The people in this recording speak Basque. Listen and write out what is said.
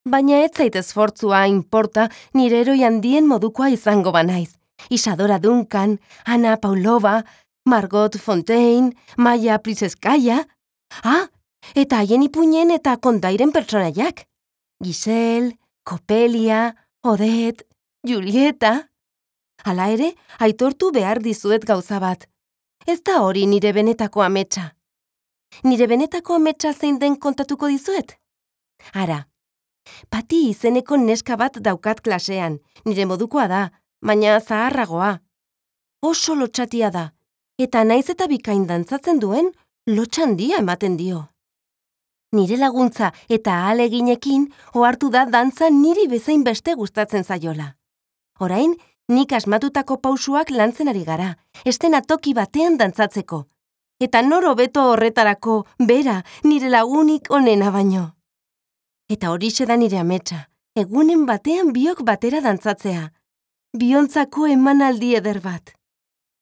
Baina ez zait esfortzua inporta nire heroi handien modukoa izango banaiz. Isadora Duncan, Anna Paulova, Margot Fonteyn, Maya Pliskaya. Eta haien ipuinen eta kontairen pertsonaiak. Giselle, Coppelia, Odette, Julieta. Hala ere, aitortu behar dizuet gauza bat. Ez da hori nire benetako ametsa. Nire benetako ametsa zein den kontatuko dizuet? Ara, Pati izeneko neska bat daukat klasean, nire modukoa da, baina zaharragoa. Oso lotxatia da, eta naiz eta bikain dantzatzen duen, lotxandia ematen dio. Nire laguntza eta ahaleginekin ohartu da dantza niri bezain beste gustatzen zaiola. Orain, nik asmatutako pausuak lantzen ari gara, estena toki batean dantzatzeko. Eta nor hobeto horretarako, bera, nire lagunik onena baino. Eta horixe da nire ametsa, egunen batean biok batera dantzatzea. Biontzako emanaldi eder bat.